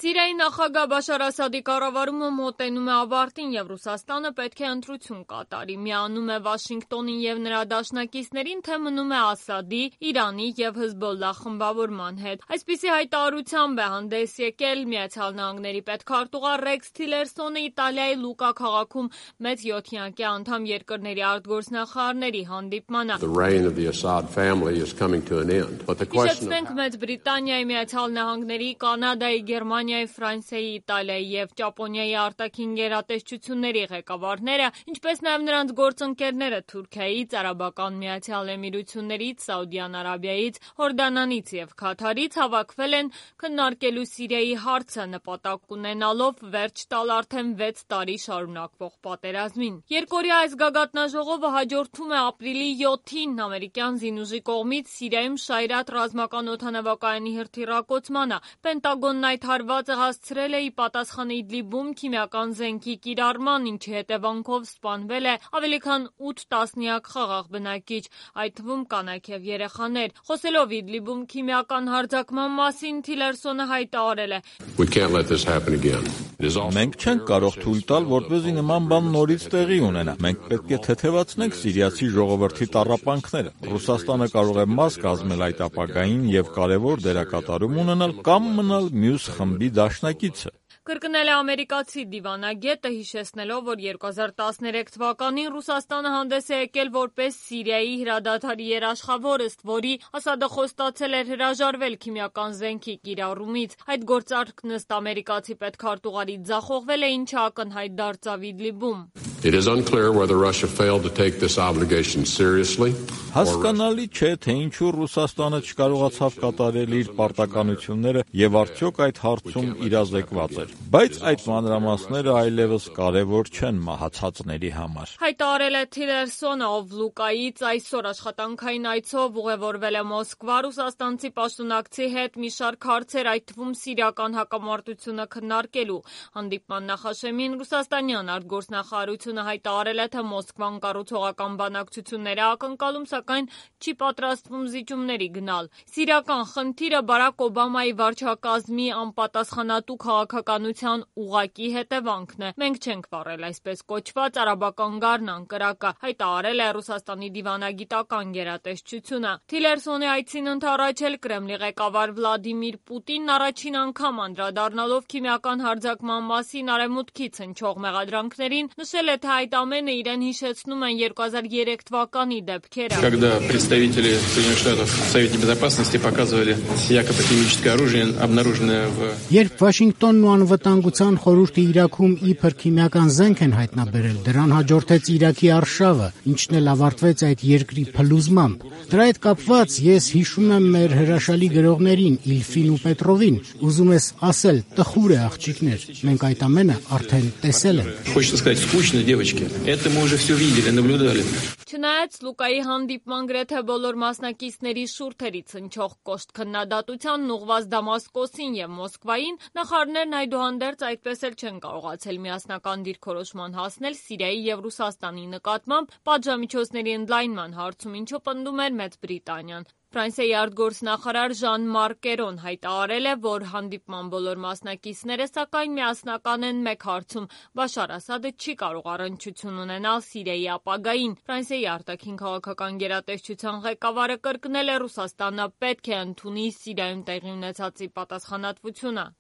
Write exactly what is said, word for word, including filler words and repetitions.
Սիրիայի նախագահ Բաշար Ասադի կառավարումը մոտենում է ավարտին և Ռուսաստանը պետք է ընտրություն կատարի։ Միանում է Վաշինգտոնին և նրա դաշնակիցներին, թե մնում է Ասադի, Իրանի և Հզբոլլահ խմբավորման հետ։ Այսպիսի հայտարարությամբ է հանդես եկել Միացյալ Նահանգների պետքարտուղար Ռեքս Թիլերսոնը Իտալիայի Լուկա քաղաքում մեծ յոթյակի անդամ երկրների արտգործնախարարների հանդիպմանը։ Հիշեցնենք, Մեծ Բրիտանիայի, Միացյալ Նահանգների, Կանադայի, Գերմանիայի, Ֆրանսիայի, Իտալիայի և Ճապոնիայի արտաքին գերատեսչությունների ղեկավարները, ինչպես նաև նրանց գործընկերները Թուրքիայից, Արաբական Միացյալ Էմիրություններից, Սաուդյան Արաբիայից, Հորդանանից և Քաթարից հավաքվել են քննարկելու Սիրիայի հարցը, նպատակ ունենալով վերջ տալ արդեն վեց տարի շարունակվող պատերազմին։ Երկօրյա այս գագաթնաժողովը հաջորդում է ապրիլի յոթին ամերիկյան զինուժի կողմից Սիրիայում Շայրաթ ռազմական օդանավակայանի հրթիռակոծմանը։ Պենտագոնն այդ հարվածը հասցրել է ի պատասխան Իդլիբում քիմիական զենքի կիրառման, ինչի հետևանքով սպանվել է ավելի քան ութ տասնյակ խաղաղ բնակիչ, այդ թվում կանայք և երեխաներ։ Խոսելով Իդլիբում քիմիական հարձակման մասին, Թիլերսոնը հայտարարել է. Մենք չենք կարող թույլ տալ, որպեսզի նման բան նորից տեղի ունենա։ Մենք պետք է թեթևացնենք սիրիացի ժողովրդի տառապանքները։ Ռուսաստանը կարող է մաս կազմել այդ ապագային և կարևոր դերակատարում ունենալ կամ մնալ մյուս խմբի դաշնակիցը։ Կրկնել է ամերիկացի դիվանագետը, հիշեցնելով, որ երկու հազար տասներեք թվականին Ռուսաստանը հանդես է եկել որպես Սիրիայի հրադադարի երաշխավոր, ըստ որի Ասադը խոստացել էր հրաժարվել քիմիական զենքի կիրառումից։ Այդ գործարքն ըստ ամերիկացի պետքարտուղարի ձախողվել է, ինչը ակնհայտ դարձավ Իդլիբում։ Հասկանալի չէ, թե ինչու Ռուսաստանը չկարողացավ կատարել իր պարտականությունները և արդյոք այդ հարցում իրազեկված էր, բայց այդ մանրամասները այլևս կարևոր չեն մահացածների համար։ Հայտարարել է Թիլերսոնը, ով Լուկայից այսօր աշխատանքային այցով ուղևորվել է Մոսկվա ռուսաստանցի պաշտոնակցի հետ մի շարք հարցեր, այդ թվում սիրիական հակամարտությունը քննարկելու։ Հանդիպման նախաշեմին ռուսաստանյան արտգործնախարարությունը հայտարարել է, թե Մոսկվան կառուցողական բանակցություններ է ակնկալում, սակայն չի պատրաստվում զիջումների գնալ։ Սիրիական խնդիրը Բարաք Օբամայի վարչակազմի անպատասխանատու քաղաքականության ուղղակի հետևանքն է։ Մենք չենք վառել այսպես կոչված արաբական գարնան կրակը, հայտարարել է Ռուսաստանի դիվանագիտական գերատեսչությունը։ Թիլերսոնի այցին ընդառաջ էլ Կրեմլի ղեկավար Վլադիմիր Պուտինն առաջին անգամ անդրադառնալով քիմիական հարձակման մասին արևմուտքից հնչող մեղադրանքներին, նշել է, թե այդ ամենը իրեն հիշեցնում են երկու հազար երեք թվականի դեպքերը։ Երբ Վաշինգտոնն ու Անվտանգության խորհուրդը Իրաքում իբր քիմիական զենք են հայտնաբերել, դրան հաջորդեց Իրաքի արշավը, ինչն էլ ավարտվեց այդ երկրի փլուզմամբ։ Դրա հետ կապված ես հիշում եմ մեր հրաշալի գրողներին Իլֆին ու Պետրովին, ուզում ես ասել, տխուր է աղջիկներ, մենք այդ ամենը արդեն տեսել ենք։ Չնայած Լուկայի հանդիպման գրեթե բոլոր մասնակիցների շուրթերից հնչող կոշտ քննադատությանն ուղղված Դամասկոսին և Մոսկվային, նախարարներն այդուհանդերձ այդպես էլ չեն կարողացել միասնական դիրքորոշման հասնել Սիրիայի և Ռուսաստանի նկատմամբ պատժամիջոցների ընդլայնման հարցում, ինչը պնդում էր Մեծ Բրիտանիան։ Ֆրանսիայի արտգործնախարար Ժան Մարկ Կերոն հայտարարել է, որ հանդիպման բոլոր մասնակիցները սակայն միասնական են մեկ հարցում՝ Բաշար Ասադը չի կարող առնչություն ունենալ Սիրիայի ապագային։ Ֆրանսիայի արտաքին քաղաքական գերատեսչության ղեկավարը կրկնել է՝ Ռուսաստանը պետք է ընդունի Սիրիայում տեղի ունեցածի պատասխանատվությունը։